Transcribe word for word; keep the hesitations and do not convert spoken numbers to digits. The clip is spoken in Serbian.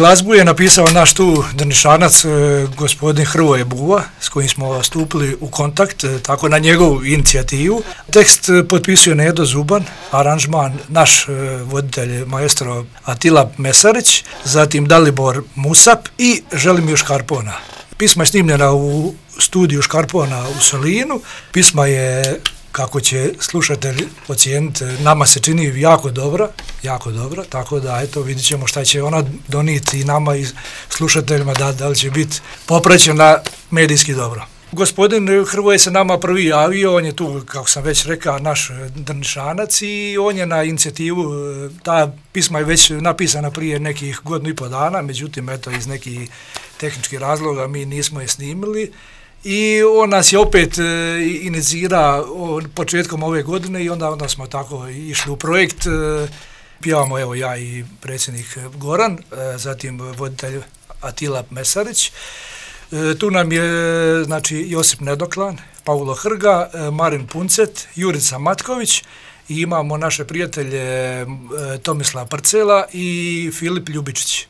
glazbu je napisao naš tu Drnišanac, gospodin Hrvoje Buva, s kojim smo stupili u kontakt, tako na njegovu inicijativu. Tekst potpisuje Nedo Zuban, aranžman naš voditelj maestro Atila Mesarić, zatim Dalibor Musap i Želimir Škarpona. Pisma je snimljena u studiju Škarpona u Solinu, pisma je, kako će slušatelj ocijeniti, nama se čini jako dobra, jako dobra, tako da eto vidit ćemo šta će ona donijeti nama i slušateljima, da, da li će biti popraćena medijski dobro. Gospodin Hrvoje se nama prvi javio, on je tu, kako sam već rekao, naš Drnišanac i on je na inicijativu, ta pisma je već napisana prije nekih godinu i po dana, međutim, eto, iz nekih tehničkih razloga mi nismo je snimili i on nas je opet e, inicira o, početkom ove godine i onda, onda smo tako išli u projekt, e, pjevamo evo ja i predsjednik Goran, e, zatim voditelj Atila Mesarić. Tu nam je, znači, Josip Nedoklan, Paulo Hrga, Marin Puncet, Jurica Matković i imamo naše prijatelje Tomislav Parcela i Filip Ljubičić.